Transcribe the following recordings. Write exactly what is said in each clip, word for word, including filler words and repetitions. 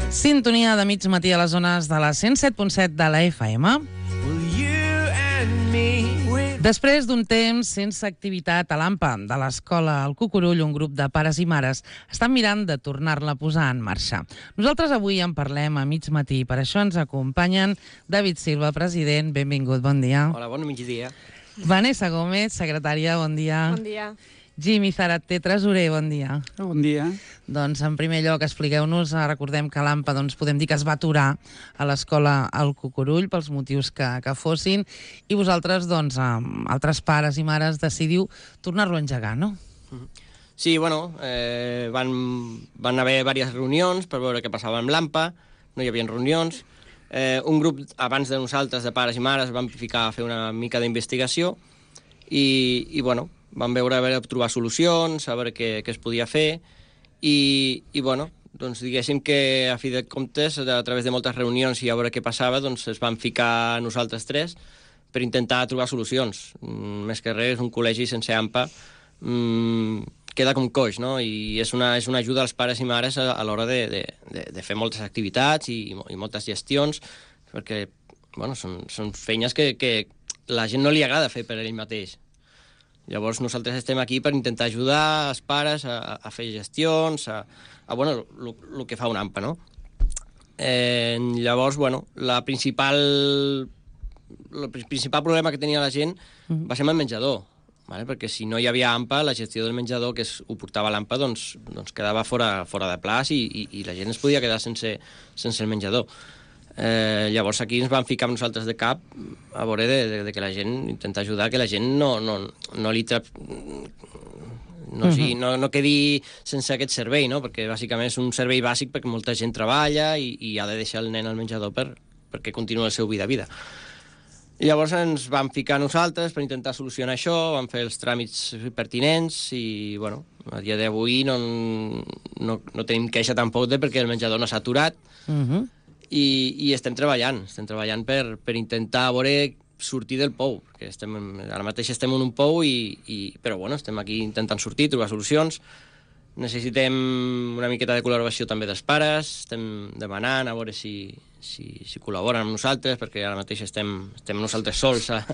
Sintonia de mig matí a les zones de la cent set punt set de la F M. Després d'un temps sense activitat a l'A M P A de l'escola El Cucurull, un grup de pares i mares estan mirant de tornar-la a posar en marxa. Nosaltres avui en parlem a mig matí, per això ens acompanyen David Silva, president, benvingut, bon dia. Hola, bon migdia. Vanessa Gómez, secretària, bon dia. Bon dia. Jimmy Zarate, tresorer, bon dia. Bon dia. Doncs, en primer lloc, expliqueu-nos, recordem que l'A M P A, doncs, podem dir que es va aturar a l'escola El Cucurull pels motius que, que fossin, i vosaltres, doncs, amb altres pares i mares, decidiu tornar-lo a engegar, no? Sí, bueno, eh, van, van haver diverses reunions per veure què passava amb l'A M P A, no hi havia reunions. Eh, un grup, abans de nosaltres, de pares i mares, van ficar a fer una mica d'investigació i, i, bueno, vam veure a veure, trobar solucions, a veure què, què es podia fer, i, i bueno, doncs diguéssim que a fi de comptes, a través de moltes reunions i a veure què passava, doncs es van ficar nosaltres tres per intentar trobar solucions. Mm, més que res, un col·legi sense A M P A mm, queda com coix, no? I és una, és una ajuda als pares i mares a, a l'hora de, de, de, de fer moltes activitats i, i moltes gestions, perquè bueno, són, són feines que, que la gent no li agrada fer per ell mateix. Llavors nosaltres estem aquí per intentar ajudar els pares a, a fer gestions, a, a bueno, el que fa un A M P A, no? Eh, llavors, bueno, la principal, el principal problema que tenia la gent va ser amb el menjador, vale? Perquè si no hi havia A M P A, la gestió del menjador que es, ho portava l'A M P A, doncs, doncs quedava fora, fora de plaç i, i, i la gent es podia quedar sense, sense el menjador. Eh, llavors aquí ens vam ficar amb nosaltres de cap a veure de, de, de que la gent intenta ajudar, que la gent no, no, no li tra... no, sí, no, no quedi sense aquest servei, no? Perquè bàsicament és un servei bàsic perquè molta gent treballa i, i ha de deixar el nen al menjador per, perquè continua el seu vida a vida. I llavors ens vam ficar nosaltres per intentar solucionar això, vam fer els tràmits pertinents i, bueno, a dia d'avui no, no, no tenim queixa tampoc de perquè el menjador no s'ha aturat. Uh-huh. I, i estem treballant, estem treballant per, per intentar veure sortir del pou, perquè estem, ara mateix estem en un pou, i, i, però bueno, estem aquí intentant sortir, trobar solucions. Necessitem una miqueta de col·laboració també dels pares, estem demanant a veure si, si, si col·laboren amb nosaltres, perquè ara mateix estem, estem nosaltres sols a,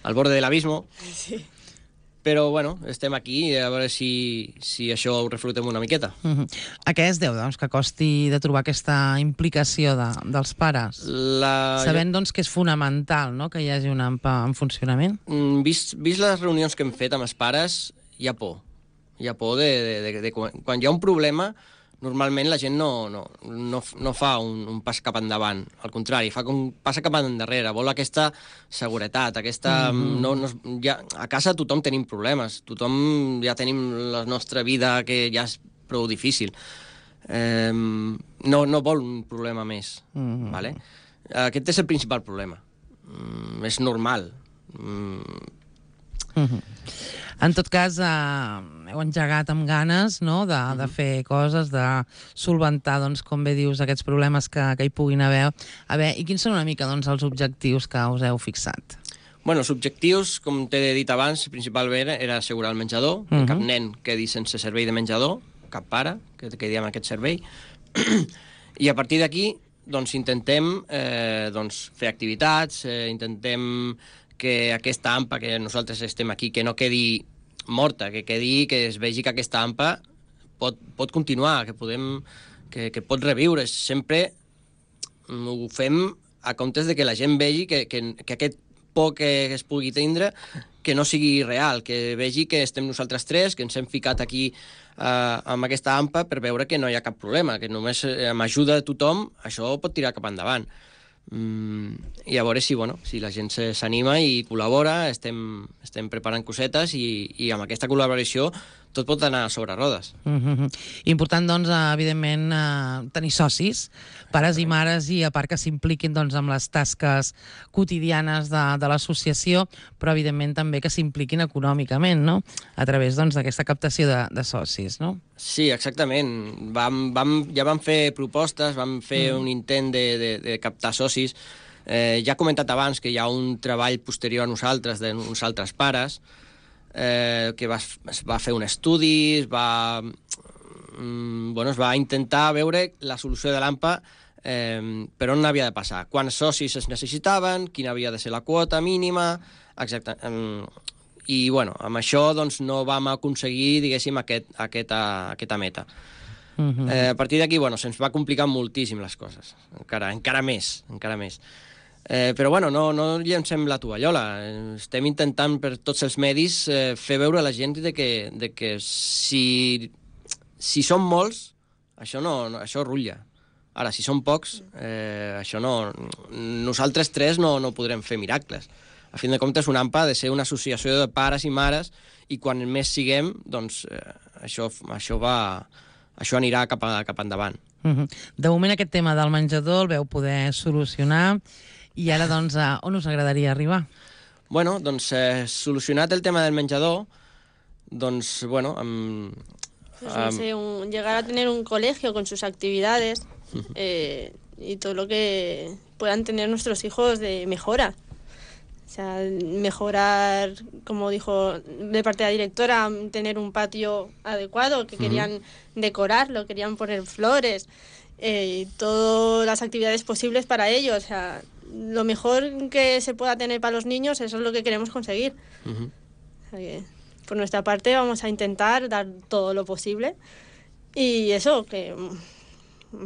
al borde de l'abisme. Sí. Però, bueno, estem aquí a veure si, si això ho reflutem una miqueta. Uh-huh. A què es deu, doncs, que costi de trobar aquesta implicació de, dels pares? La... Sabent, doncs, que és fonamental, no?, que hi hagi un A M P A en funcionament? Mm, vist, vist les reunions que hem fet amb els pares, hi ha por. Hi ha por de, de, de, de, de quan hi ha un problema, normalment la gent no, no, no, no fa un, un pas cap endavant. Al contrari, fa com passa cap endarrere. Vol aquesta seguretat, aquesta... Mm-hmm. no, no, ja, a casa tothom tenim problemes, tothom ja tenim la nostra vida que ja és prou difícil. Eh, no, no vol un problema més. Mm-hmm. Vale? Aquest és el principal problema. Mm, és normal. Mm. Mm-hmm. En tot cas, eh, heu engegat amb ganes, no?, de, de fer coses, de solventar, doncs, com bé dius, aquests problemes que, que hi puguin haver. A veure, i quins són una mica, doncs, els objectius que us heu fixat? Bueno, els objectius, com t'he dit abans, principalment era assegurar el menjador, que uh-huh. cap nen quedi sense servei de menjador, cap pare que quedi amb aquest servei. I a partir d'aquí, doncs, intentem eh, doncs, fer activitats, eh, intentem que aquesta A M P A, que nosaltres estem aquí, que no quedi morta, que quedi, que es vegi que aquesta A M P A pot, pot continuar, que podem, que, que pot reviure. Sempre ho fem a comptes de que la gent vegi que, que, que aquest por que es pugui tindre que no sigui real, que vegi que estem nosaltres tres, que ens hem ficat aquí uh, amb aquesta A M P A per veure que no hi ha cap problema, que només amb ajuda de tothom això pot tirar cap endavant. Mm, i a veure si, bueno, si la gent s'anima i col·labora, estem, estem preparant cosetes i, i amb aquesta col·laboració tot pot anar sobre rodes. Mm-hmm. Important, doncs, evidentment, eh, tenir socis, pares i mares, i a part que s'impliquin, doncs, amb les tasques quotidianes de, de l'associació, però evidentment també que s'impliquin econòmicament, no?, a través, doncs, d'aquesta captació de, de socis, no? Sí, exactament. Vam, vam, ja vam fer propostes, vam fer mm. un intent de, de, de captar socis. Eh, ja he comentat abans que hi ha un treball posterior a nosaltres, d'uns altres pares, eh, que va, es va fer un estudi, es va, mm, bueno, es va intentar veure la solució de l'AMPA eh, per on havia de passar, quants socis es necessitaven, quina havia de ser la quota mínima, exacte. Eh, I, bueno, amb això doncs, no vam aconseguir, diguéssim, aquest, aquesta, aquesta meta. Uh -huh. eh, a partir d'aquí, bueno, se'ns va complicar moltíssim les coses, encara, encara més, encara més. Eh, però, bueno, no, no llencem la tovallola. Estem intentant per tots els medis eh, fer veure a la gent de que, de que si, si són molts, això, no, no, això rutlla. Ara, si són pocs, eh, això no... Nosaltres tres no, no podrem fer miracles. A fin de comptes, una AMPA ha de ser una associació de pares i mares i quan més siguem, doncs, eh, això, això, va, això anirà cap, a, cap endavant. Uh-huh. De moment aquest tema del menjador el veu poder solucionar i ara, doncs, a on us agradaria arribar? Bueno, doncs, eh, solucionat el tema del menjador, doncs, bueno, amb... Pues no sé, un, llegar a tener un colegio con sus actividades eh, y todo lo que puedan tener nuestros hijos de mejora. O sea, mejorar, como dijo de parte de la directora, tener un patio adecuado, que querían decorarlo, querían poner flores, eh, y todas las actividades posibles para ellos. O sea, lo mejor que se pueda tener para los niños, eso es lo que queremos conseguir. Uh-huh. O sea que, por nuestra parte, vamos a intentar dar todo lo posible. Y eso, que...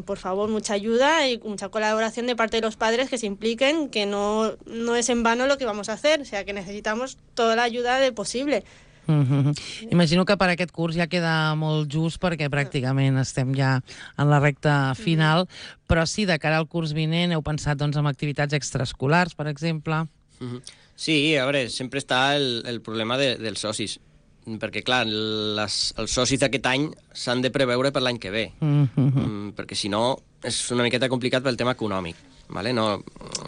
por favor, mucha ayuda y mucha colaboración de parte de los padres que se impliquen, que no, no es en vano lo que vamos a hacer, o sea, que necesitamos toda la ayuda de posible. Mm-hmm. Imagino que per aquest curs ja queda molt just perquè pràcticament estem ja en la recta final, mm-hmm. però sí, de cara al curs vinent heu pensat doncs, en activitats extraescolars, per exemple? Mm-hmm. Sí, a veure, sempre està el, el problema de, dels socis, perquè, clar, les, els socis d'aquest any s'han de preveure per l'any que ve, mm-hmm. mm, perquè si no és una miqueta complicat pel tema econòmic. Vale? No,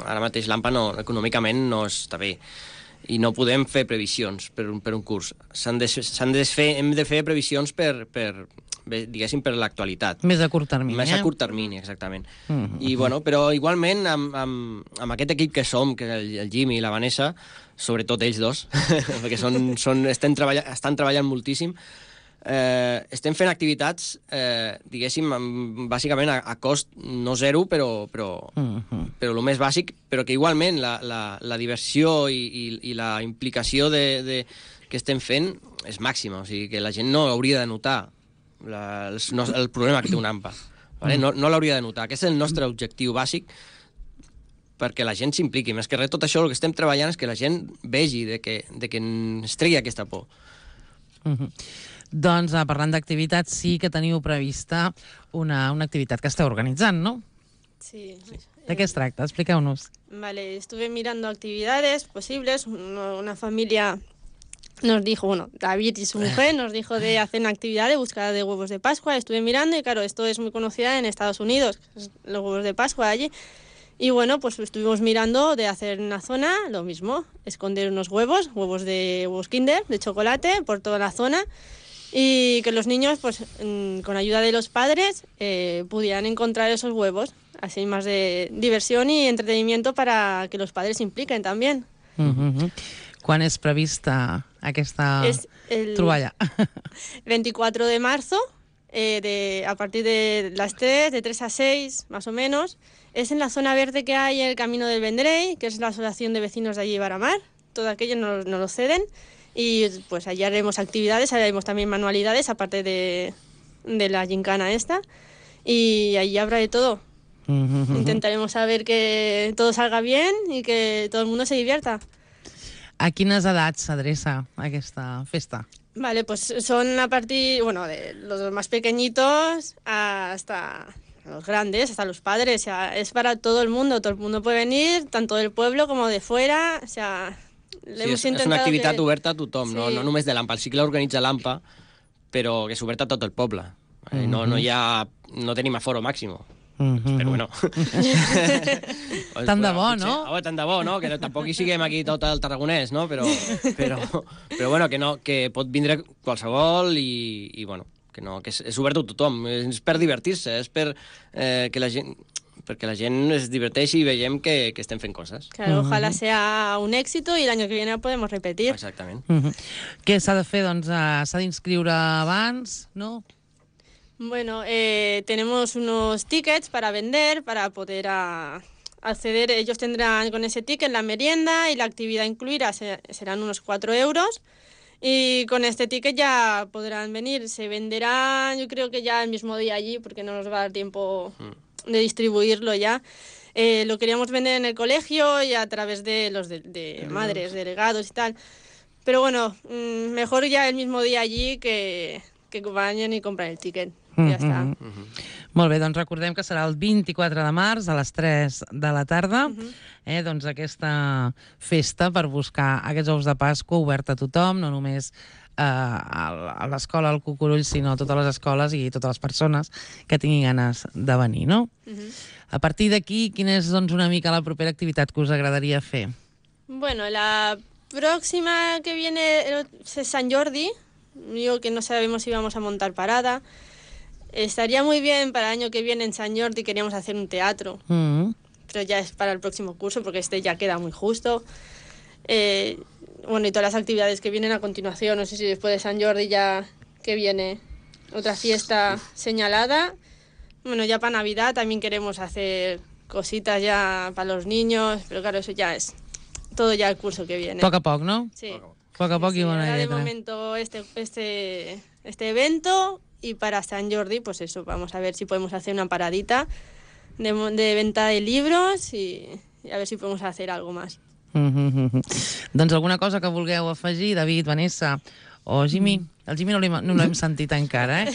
ara mateix l'AMPA no, econòmicament no està bé i no podem fer previsions per un, per un curs. S'han de, s'han de fer, hem de fer previsions per, per diguéssim, per l'actualitat. Més a curt termini. Més eh? a curt termini, exactament. Mm-hmm. I, bueno, però igualment, amb, amb, amb aquest equip que som, que el, el Jimmy i la Vanessa, sobretot ells dos, perquè són, són, estan, treballa, estan treballant moltíssim, eh, estem fent activitats, eh, diguéssim, amb, bàsicament a, a cost no zero, però, però, mm-hmm. però el més bàsic, però que igualment la, la, la diversió i, i, i la implicació de, de, que estem fent és màxima, o sigui que la gent no hauria de notar la, el, el problema que té una AMPA. Vale? No, no l'hauria de notar. Aquest és el nostre objectiu bàsic perquè la gent s'impliqui. Més que res, tot això el que estem treballant és que la gent vegi de que, de que ens tregui aquesta por. Mm-hmm. Doncs, parlant d'activitats, sí que teniu prevista una, una activitat que esteu organitzant, no? Sí. ¿De qué es tracta? Expliqueu-nos. Vale, estuve mirando actividades posibles. Una, una familia nos dijo, bueno, David y su mujer nos dijo de hacer una actividad de búsqueda de huevos de Pascua. Estuve mirando y claro, esto es muy conocida en Estados Unidos, los huevos de Pascua allí. Y bueno, pues estuvimos mirando de hacer en una zona lo mismo, esconder unos huevos, huevos de huevos Kinder, de chocolate, por toda la zona. Y que los niños, pues con ayuda de los padres, eh, pudieran encontrar esos huevos. Así más de diversión y entretenimiento para que los padres se impliquen también. Mm-hmm. Quan és prevista aquesta es el troballa? veinticuatro de marzo, eh, de, a partir de las tres, de tres a seis, más o menos. Es en la zona verde que hay el Camino del Vendrell, que es la asociación de vecinos de allí de Baramar. Todo aquello nos, nos lo ceden. Y pues allí haremos actividades, haremos también manualidades, aparte de, de la gincana esta. Y allí habrá de todo. Mm-hmm. Intentaremos saber que todo salga bien y que todo el mundo se divierta. A quines edats s'adreça aquesta festa? Vale, pues son a partir, bueno, de los más pequeñitos hasta los grandes, hasta los padres. O sea, es para todo el mundo, todo el mundo puede venir, tanto del pueblo como de fuera. O sea, sí, és, és una activitat que... oberta a tothom, sí. no, no només de l'AMPA. El cicle organitza l'AMPA, però que és oberta a tot el poble. Mm-hmm. No, no, hi ha, no tenim aforo màxim. Mm-hmm. Però bueno. Tant de bo, no? Oh, tant de bo, no? Que tampoc hi siguem aquí tot el tarragonès, no? Però, però, però bueno, que, no, que pot vindre qualsevol i, i bueno, que, no, que és, és obert a tothom. És per divertir-se, és per eh, que la gent... perquè la gent es diverteixi i veiem que, que estem fent coses. Claro, ojalá sea un éxito y el año que viene podemos repetir. Exactament. Uh-huh. Què s'ha de fer? Doncs uh, s'ha d'inscriure abans, no? Bueno, eh, tenemos unos tickets para vender, para poder a, acceder. Ellos tendrán con ese ticket la merienda y la actividad incluida se, serán unos cuatro euros. Y con este ticket ya podrán venir. Se venderá, yo creo que ya el mismo día allí, porque no nos va a dar tiempo de distribuirlo ya. Eh, lo queríamos vender en el colegio y a través de los de, de madres, delegados y tal. Pero bueno, mmm, mejor ya el mismo día allí que, que vayan i compren el ticket. Mm-hmm. Ja està. Mm-hmm. Molt bé, doncs recordem que serà el vint-i-quatre de març a les tres de la tarda, mm-hmm. eh, doncs aquesta festa per buscar aquests ous de Pasqua oberta a tothom, no només eh, a l'escola al Cucurull, sinó a totes les escoles i totes les persones que tinguin ganes de venir, no? Mm-hmm. A partir d'aquí, quina és doncs, una mica la propera activitat que us agradaria fer? Bueno, la próxima que viene es San Jordi. Yo que no sabemos si vamos a montar parada. Estaría muy bien para el año que viene en San Jordi, queríamos hacer un teatro, mm-hmm. pero ya es para el próximo curso porque este ya queda muy justo. Eh, bueno, y todas las actividades que vienen a continuación, no sé si después de San Jordi ya que viene otra fiesta señalada. Bueno, ya para Navidad también queremos hacer cositas ya para los niños, pero claro, eso ya es todo ya el curso que viene. Poc a poc, ¿no? Sí. Poc a poc sí, i bona ahora lletra. De momento este, este, este evento. Y para San Jordi, pues eso, vamos a ver si podemos hacer una paradita de, de venta de libros y, y a ver si podemos hacer algo más. Mm-hmm. Doncs alguna cosa que vulgueu afegir, David, Vanessa o Jimmy? El Jimmy no l'hem no sentit encara, ¿eh?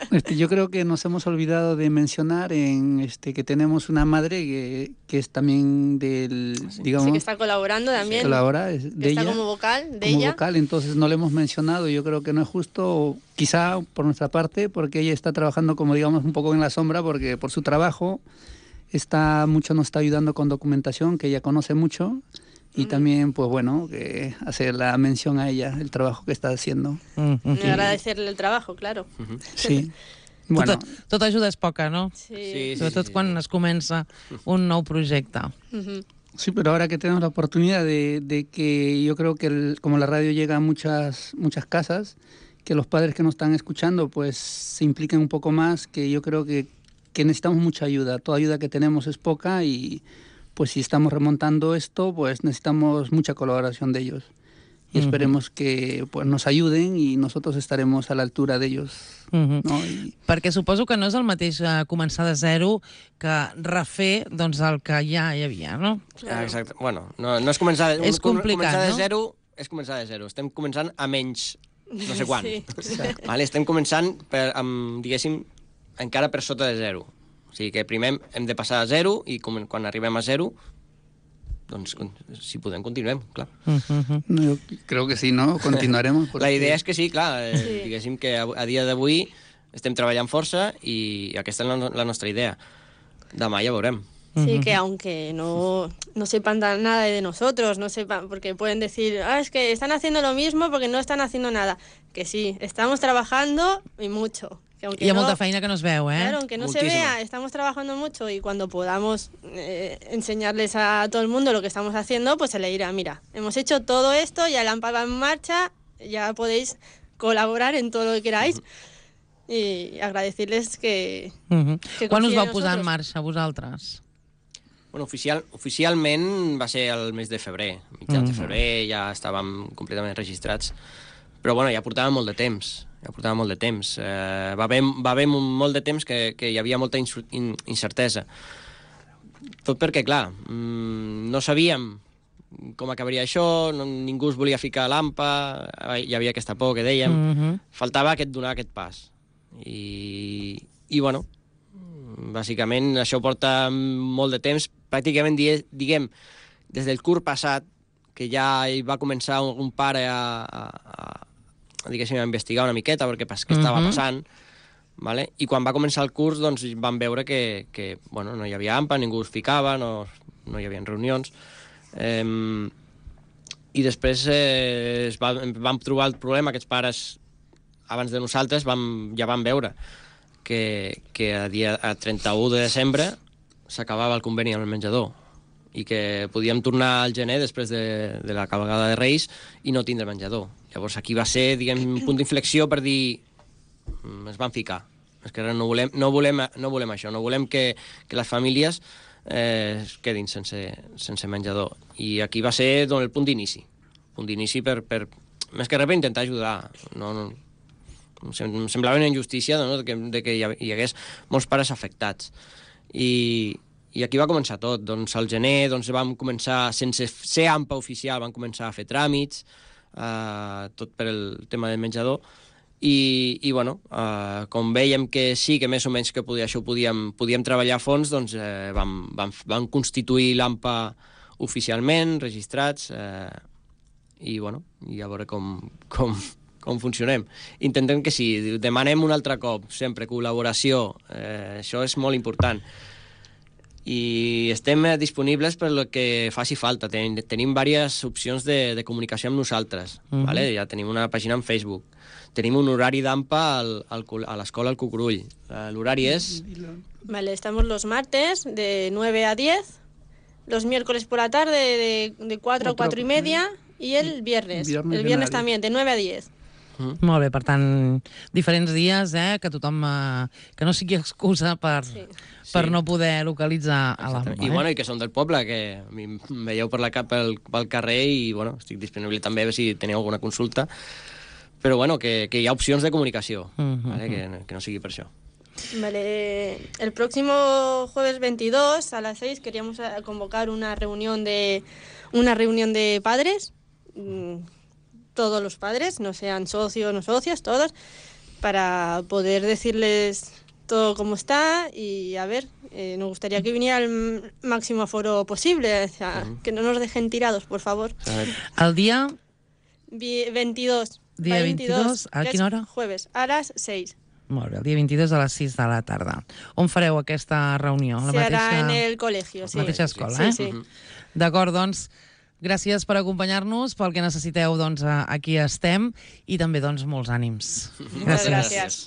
Este, yo creo que nos hemos olvidado de mencionar en este que tenemos una madre que, que es también del, digamos... Sí, que está colaborando también. Colabora, es de que está ella, como vocal de como ella. vocal, entonces no le hemos mencionado. Yo creo que no es justo, quizá por nuestra parte, porque ella está trabajando como digamos un poco en la sombra, porque por su trabajo está mucho nos está ayudando con documentación, que ella conoce mucho. Y también, pues bueno, que hacer la mención a ella, el trabajo que está haciendo. Mm-hmm. Y agradecerle el trabajo, claro. Mm-hmm. Sí. Bueno. Tota, tota ajuda és poca, no? Sí. Sí, Sobretot sí, sí, quan sí. es comença un nou projecte. Mm-hmm. Sí, pero ahora que tenemos la oportunidad de, de que yo creo que el, como la radio llega a muchas, muchas casas, que los padres que nos están escuchando pues se impliquen un poco más, que yo creo que, que necesitamos mucha ayuda. Toda ayuda que tenemos es poca y... pues si estamos remontando esto, pues necesitamos mucha colaboración de ellos. Y esperemos uh-huh. que pues, nos ayuden y nosotros estaremos a la altura de ellos. Uh-huh. No? I... Perquè suposo que no és el mateix uh, començar de zero que refer doncs, el que ja hi havia, no? Ah, exacte. Bueno, no, no és començar, de, és complicat, començar de no? zero, és començar de zero. Estem començant a menys no sé quan. Sí. Vale? Estem començant, per, amb, diguéssim, encara per sota de zero. O sigui que primer hem de passar a zero i com, quan arribem a zero, doncs si podem continuem, clar. Uh-huh. No, yo creo que sí, ¿no? Continuaremos. Porque... La idea és que sí, clar, eh, Sí. diguéssim que a, a dia d'avui estem treballant força i aquesta és la, la nostra idea. Demà ja veurem. Sí, que aunque no, no sepan nada de nosotros, no sepan, porque pueden decir, ah, es que están haciendo lo mismo porque no están haciendo nada. Que sí, estamos trabajando y mucho. Que aunque Hi ha no, molta feina que no es veu, eh? Claro, aunque no Muchísimo. se vea, estamos trabajando mucho y cuando podamos eh, enseñarles a todo el mundo lo que estamos haciendo, pues se le dirá, mira, hemos hecho todo esto, ya la AMPA va en marcha, ya podéis colaborar en todo lo que queráis. I agradecerles que... Uh-huh. que Quan us confien vau en posar en nosotros. marxa, vosaltres? Bueno, oficial, oficialment va ser el mes de febrer. Mitjans mm. de febrer ja estàvem completament registrats. Però bueno, ja portàvem molt de temps. Ja portàvem molt de temps. Eh, va haver, va haver molt de temps que, que hi havia molta incertesa. Tot perquè, clar, no sabíem com acabaria això, no, ningú es volia ficar a l'AMPA, hi havia aquesta por que dèiem. Mm-hmm. Faltava aquest, donar aquest pas. I, i bueno, bàsicament això porta molt de temps, pràcticament diguem des del curs passat, que ja hi va començar un pare a, a, a, diguéssim, a investigar una miqueta perquè què estava Mhm. passant, vale? I quan va començar el curs doncs vam veure que, que bueno, no hi havia AMPA, ningú es ficava, no, no hi havia reunions. Eh, I després eh, es va, vam trobar el problema, aquests pares abans de nosaltres vam, ja vam veure que, que a, dia, a trenta-u de desembre s'acabava el conveni amb el menjador i que podíem tornar al gener després de, de la cavalgada de Reis i no tindre menjador. Llavors aquí va ser, diguem, un punt d'inflexió per dir es van ficar, És que no volem, no volem, no volem això, no volem que, que les famílies eh, es quedin sense, sense menjador. I aquí va ser doncs, el punt d'inici. Punt d'inici per, per, més que res per intentar ajudar. No, no, em semblava una injustícia no? de, que, de que hi hagués molts pares afectats. I, i aquí va començar tot. Doncs al gener doncs, vam començar, sense ser A M P A oficial, vam començar a fer tràmits, eh, tot per el tema del menjador. I, i bueno, eh, com veiem que sí, que més o menys que podia, això ho podíem, podíem treballar a fons, doncs eh, vam, vam, vam constituir l'A M P A oficialment, registrats, eh, i bueno, i a veure com, com, com funcionem. Intentem que sí, demanem un altre cop, sempre col·laboració, eh, això és molt important. I estem disponibles per el que faci falta. Tenim, tenim diverses opcions de, de comunicació amb nosaltres. Mm-hmm. Vale? Ja tenim una pàgina en Facebook. Tenim un horari d'A M P A al, al, a l'escola al Cucurull. L'horari es... Vale, estamos los martes de nueve a diez, los miércoles por la tarde de, de cuatro a cuatro y media y el viernes. viernes el viernes también, de nueve a diez. Mm. Molt bé, per tant, diferents dies, eh, que tothom... Eh, que no sigui excusa per, sí. per sí. no poder localitzar a l'A M P A. I, eh? bueno, i que són del poble, que a mi em veieu per la cap pel, pel carrer i bueno, estic disponible també si teniu alguna consulta. Pero bueno, que, que hi ha opcions de comunicació, uh-huh. ¿vale? que, que no sigui per això. Vale, el próximo jueves veintidós a las seis queríamos convocar una reunión de una reunión de padres, todos los padres, no sean socios, no socias, todos, para poder decirles todo cómo está y a ver, eh, nos gustaría que viniera el máximo aforo posible, o sea, uh-huh. que no nos dejen tirados, por favor. El día... veintidós. Dia veintidós, a quina hora? Jueves, a les seis. Molt bé, el dia veintidós a les sis de la tarda. On fareu aquesta reunió? Se harà en el col·legi, sí. La mateixa escola, sí, eh? Sí, sí. D'acord, doncs, gràcies per acompanyar-nos, pel que necessiteu, doncs, aquí estem, i també, doncs, molts ànims. Gràcies. gràcies.